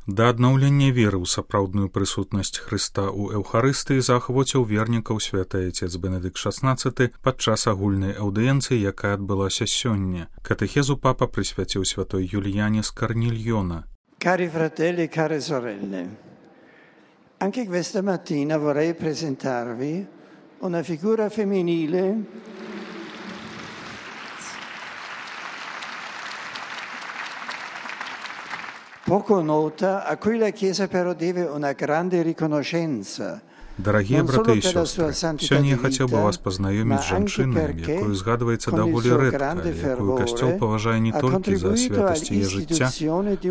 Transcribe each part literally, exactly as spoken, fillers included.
Да аднаўлення веры ў сапраўдную прысутнасць Хрыста ў Эўхарыстыі заахвоціў вернікаў святы Айцец Бенедыкт шаснаццаты падчас агульнай аўдыенцыі, якая адбылася сёння. Катэхезу папа прысвяціў святой Юліяне з Карнільйона. Cari fratelli e care sorelle, anche questa mattina vorrei presentarvi una figura femminile poco nota, a cui la Chiesa però deve una grande riconoscenza. Дарагія браты і сёстры, сёння я хацеў бы вас пазнаёміць з жанчынай, якую згадваецца даволі рэдка, якую касцёл паважае не толькі за святасць яе жыцця,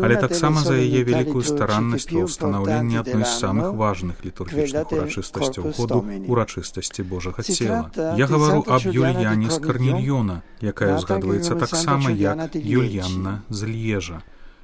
але таксама за яе вялікую стараннасць ва ўстанаўленні адной з самых важных літургічных урачыстасцяў году – урачыстасці Божага цела. Я гавару аб Юліяне з Карнільйона, якая згадваецца таксама як Юліянна з Льежа.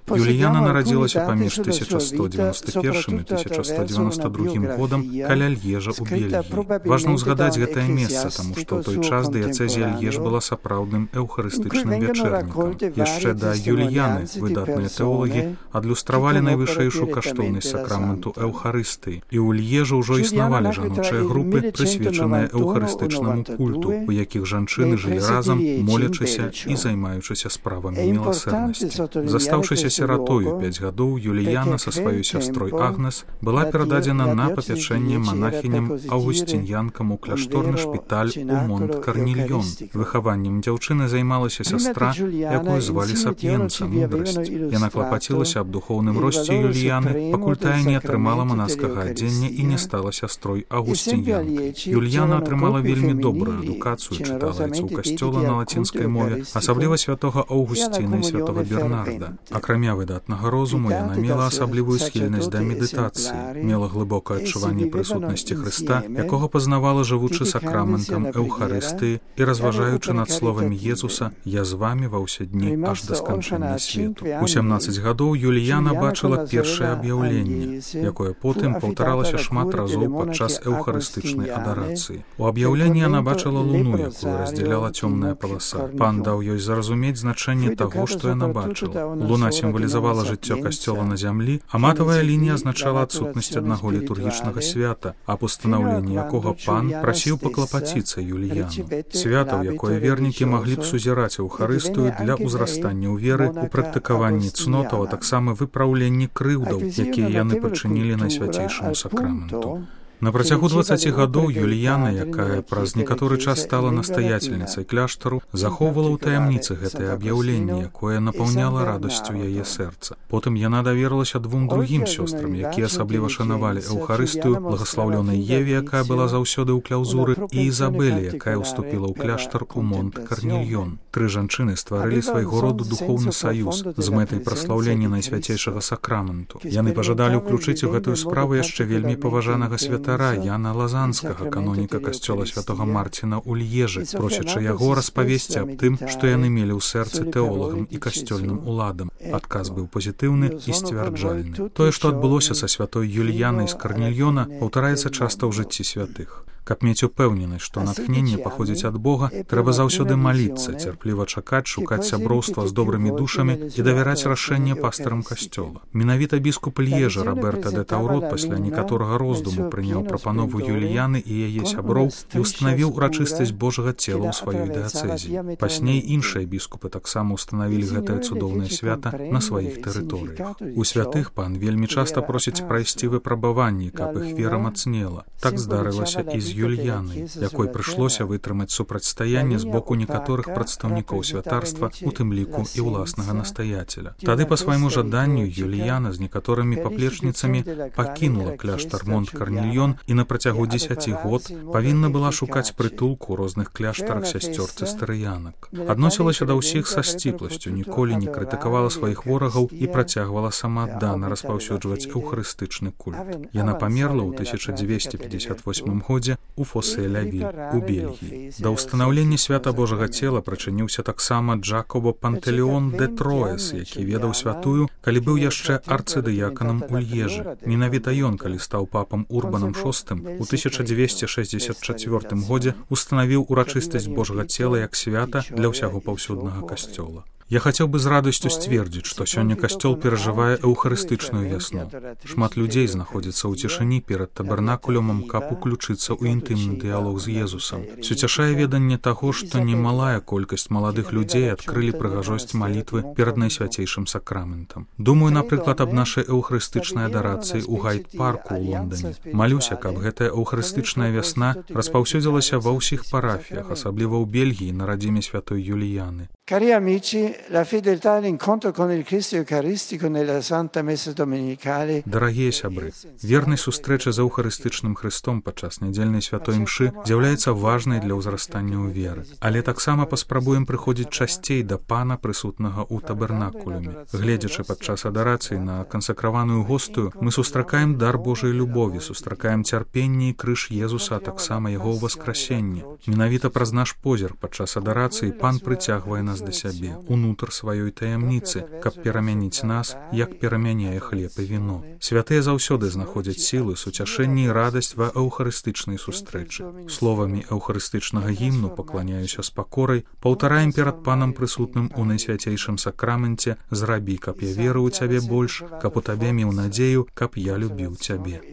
Юліяна нарадзілася паміж тысяча сто дзевяносто першым і тысяча сто девяносто другім годам каля Льежа ў Бельгіі. Важна ўзгадаць гэтае месца, таму што ў той час дыяцэзія Льеж была сапраўдным эўхарыстычным вячэрнікам. Яшчэ да Юліяны выдатныя тэолагі адлюстравалі найвышэйшую каштоўнасць сакраменту Эўхарыстыі. І ў Льежы ўжо існавалі жаночыя групы, прысвечаныя эўхарыстычнаму культу, у якіх жанчыны жылі разам, молячыся і займаючыся справамі міласэрнасці. Застаўшыся сиратою пяць гадоў, Юліяна са сваёй сястрой Агнес была перададзена на папячэнне манахіням аўгусціньянкам у кляшторны шпіталь у Монт-Карнільйон. Выхаваннем дзяўчыны займалася сястра, якую звалі Сап'енца, мудрасць. Яна клапацілася аб духоўным росце Юліяны, пакуль тая не атрымала манаскага адзення і не стала сястрой аўгусціньянкай. Юліяна атрымала вельмі добрую адукацыю, чытала айцоў касцёла на лацінскай мове, асабліва святога Аўгусціна і святога Бернарда. Акрамя выдатнага розуму, яна мела асаблівую схільнасць да медытацыі, мела глыбокае адчуванне прысутнасці Хрыста, якога пазнавала жывучы сакраментам Эўхарыстыі і разважаючы над словамі Езуса «Я з вамі ва ўсе дні аж да сканчэння свету». У сямнаццаць гадоў Юліяна бачыла першае аб'яўленне, якое потым паўтаралася шмат разоў падчас эўхарыстычнай адарацыі. У аб'яўленні яна бачыла луну, якую раздзяляла цёмная паласа. Пан даў ёй зразумець значэнне таго, што яна бачыла. Луна сімвалізавала жыццё касцёла на зямлі, а матавая лінія азначала адсутнасць аднаго літургічнага свята, аб устанаўленні якога пан прасіў паклапаціцца Юліяну. Свята, ў якое вернікі маглі б сузіраць Эўхарыстыю для ўзрастання ў веры, у практыкаванні цнотаў, а таксама выпраўленні крыўдаў, якія яны прычынілі найсвяцейшаму сакраменту. На працягу дваццаці гадоў Юліяна, якая праз некаторы час стала настаяцельніцай кляштару, захоўвала ў таямніцы гэтае аб'яўленне, якое напаўняла радасцю яе сэрца. Потым яна даверылася двум другім сёстрам, якія асабліва шанавалі Эўхарыстыю, благаслаўлёнай Еве, якая была заўсёды ў кляўзуры, і Ізабелі, якая ўступіла ў кляштар у Монт-Карнільйон. Тры жанчыны стварылі свайго роду духоўны саюз з мэтай праслаўлення найсвяцейшага сакраменту. Яны пажадалі ўключыць у гэтую справу яшчэ вельмі паважанага святара Яна Лазанскага, каноніка касцёла святога Марціна ў Льежы, просячы яго распавесці аб тым, што яны мелі ў сэрцы тэолагам і касцёльным уладам. Адказ быў пазітыўны і сцвярджальны. Тое, што адбылося са святой Юліянай з Карнільйона, паўтараецца часта ў жыцці святых. Каб мець упэўненасць, што натхненне паходзіць ад Бога, трэба заўсёды маліцца, цярпліва чакаць, шукаць сяброўства з добрымі душамі і давяраць рашэнне пастырам касцёла. Менавіта біскуп Льежа Роберта де Таурот пасля некаторага роздуму прыняў прапанову Юліяны і яе сяброў і ўстанавіў урачыстасць Божага цела ў сваёй дыяцэзі. Пазней іншыя біскупы таксама ўстанавілі гэтае цудоўнае свята на сваіх тэрыторыях. У святых пан вельмі часта просіць прайсці выпрабаванні, каб іх вера мацнела. Так здарылася і з Юліянай, якой прыйшлося вытрымаць супрацьстаянне з боку некаторых прадстаўнікоў святарства, у тым ліку і ўласнага настаяцеля. Тады па свайму жаданню Юліяна з некаторымі паплечніцамі пакінула кляштар Монт-Карнільйон і на працягу дзесяці год павінна была шукаць прытулку ў розных кляштарах сясцёр цыстарыянак. Адносілася да ўсіх са сціпласцю, ніколі не крытыкавала сваіх ворагаў і працягвала самааддана распаўсюджваць эўхарыстычны культ. Яна памерла ў тысяча дзвесце пятьдесят восьмым годзе у Фосе-Лявіль у Бельгіі. Да ўстанаўлення свята Божага цела прычыніўся таксама Джакобо Пантэлеон де Троес, які ведаў святую, калі быў яшчэ арцыдыяканам у Льежы. Менавіта ён, калі стаў папам Урбанам шостым, у тысяча дзвесце шэсцьдзесят чацвёртым годзе устанавіў урачыстасць Божага цела як свята для ўсяго паўсюднага касцёла. Я хацеў бы з радасцю сцвердзіць, што сёння касцёл перажывае эўхарыстычную вясну. Шмат людзей знаходзіцца ў цішыні перад табернакулюмам, каб уключыцца ў інтымны дыялог з Езусам. Суцяшае веданне таго, што немалая колькасць маладых людзей адкрылі прыгажосць малітвы перад найсвяцейшым сакраментам. Думаю, напрыклад, аб нашай эўхарыстычнай адарацыі ў Гайд-парку ў Лондоне. Малюся, каб гэтая эўхарыстычная вясна распаўсюдзілася ва ўсіх парафіях, асабліва ў Бельгіі на радзіме святой Юліяны. Cari amici, la fedeltà all'incontro con il Cristo Eucaristico nella Santa Messa Domenicale. Дарагія сябры, вернасць сустрэчы з эўхарыстычным Христом падчас нядзельнай святой імшы з'яўляецца важнай для ўзрастання ў веры. Але таксама паспрабуем прыходзіць часцей да Пана, прысутнага ў табернакулюме. Гледзячы падчас адарацыі на кансакраваную гостую, мы сустракаем дар Божай любові, сустракаем цярпенне і крыж Езуса, а таксама яго ўваскрасенне. Менавіта праз наш позірк падчас адарацыі Пан прыцягвае нас да сябе, унутр сваёй таямніцы, каб перамяніць нас, як перамяняе хлеб і віно. Святыя заўсёды знаходзяць сілы, суцяшэнне і радасць ва эўхарыстычнай сустрэчы. Словамі эўхарыстычнага гімну «Пакланяюся з пакорай» паўтараем перад Панам прысутным у найсвяцейшым сакраменце «Зрабі, каб я верыў у цябе больш, каб у табе меў надзею, каб я любіў цябе».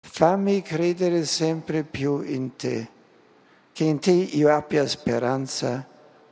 Fammi credere sempre più in te, che in te io abbia speranza,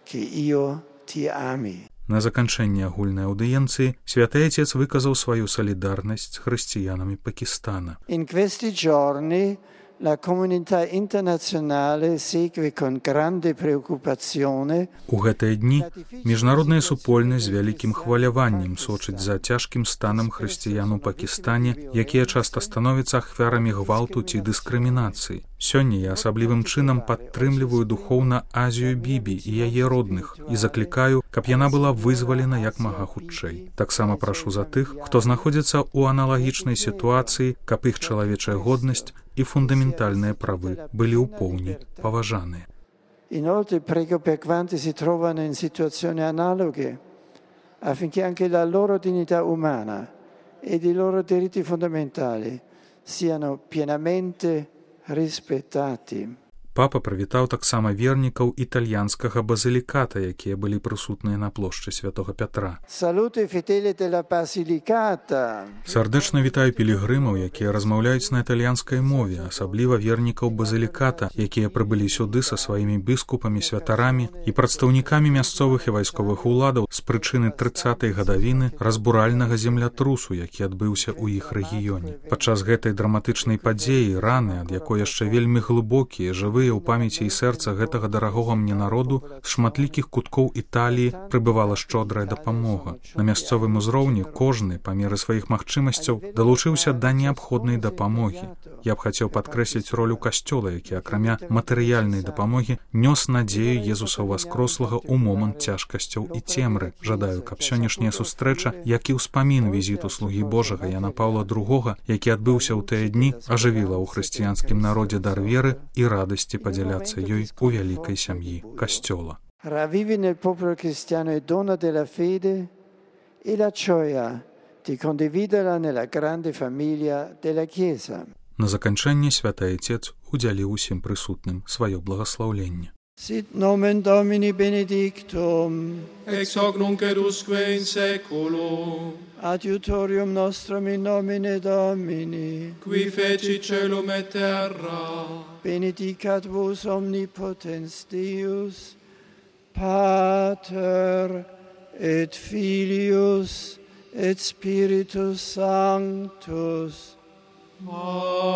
che io ti ami. На заканчэнне агульнай аўдыенцыі святы Отец выказаў сваю салідарнасць з хрысціянамі Пакістана. In questi giorni la comunità internazionale segue con grande preoccupazione. У гэтыя дні міжнародная супольнасць з вялікім хваляваннем сочыць за цяжкім станам хрысціян у Пакістане, якія часта становяцца ахвярамі гвалту ці дыскрымінацыі. Сёння я асаблівым чынам падтрымліваю духоўна Азію Бібі і яе родных і заклікаю, каб яна была вызвалена як мага хутчэй. Таксама прашу за тых, хто знаходзіцца ў аналагічнай сітуацыі, каб іх чалавечая годнасць і фундаментальныя правы былі ў поўні паважаныя. Inoltre prego per quanti si trovano in situazioni analoghe, affinché anche la loro dignità umana ed i loro diritti fondamentali siano pienamente rispettati. Папа прывітаў таксама вернікаў італьянскага базіліката, якія былі прысутныя на плошчы святога Пятра. Salute fedeli della Basilicata. Сардэчна вітаю пілігрымаў, якія размаўляюць на італьянскай мове, асабліва вернікаў базіліката, якія прыбылі сюды са сваімі біскупамі, святарамі і прадстаўнікамі мясцовых і вайсковых уладаў з прычыны трыццатай гадавіны разбуральнага землятрусу, які адбыўся ў іх рэгіёне. Падчас гэтай драматычнай падзеі раны, ад якой яшчэ вельмі глыбокія, жывыя у памяці і сэрца гэтага дарагога мне народу з шматлікіх куткоў Італіі прыбывала шчодрая дапамога. На мясцовым узроўні кожны, па меры сваіх магчымасцяў, далучыўся да неабходнай дапамогі. Я б хацеў падкрэсліць ролю касцёла, які, акрамя матэрыяльнай дапамогі, нёс надзею Езуса Васкрослага ў момант цяжкасцяў і цемры. Жадаю, каб сённяшняя сустрэча, як і ўспамін візіту слугі Божага Яна Паўла другога, які адбыўся ў тыя дні, ажывіла ў хрысціянскім народзе дар веры і радасці падзяляцца ёй у вялікай сям'і касцёла. Ravvivi nel popolo cristiano il dono della fede e la gioia di condividerla nella grande famiglia della Chiesa. На заканчэнне святы Отец удзяліў усім прысутным сваё благаслаўленне. Sit nomen Domini benedictum, ex hoc nunc et usque in seculum, adiutorium nostrum in nomine Domini, qui feci celum et terra, benedicat vos omnipotens Deus, Pater et Filius et Spiritus Sanctus. Amen.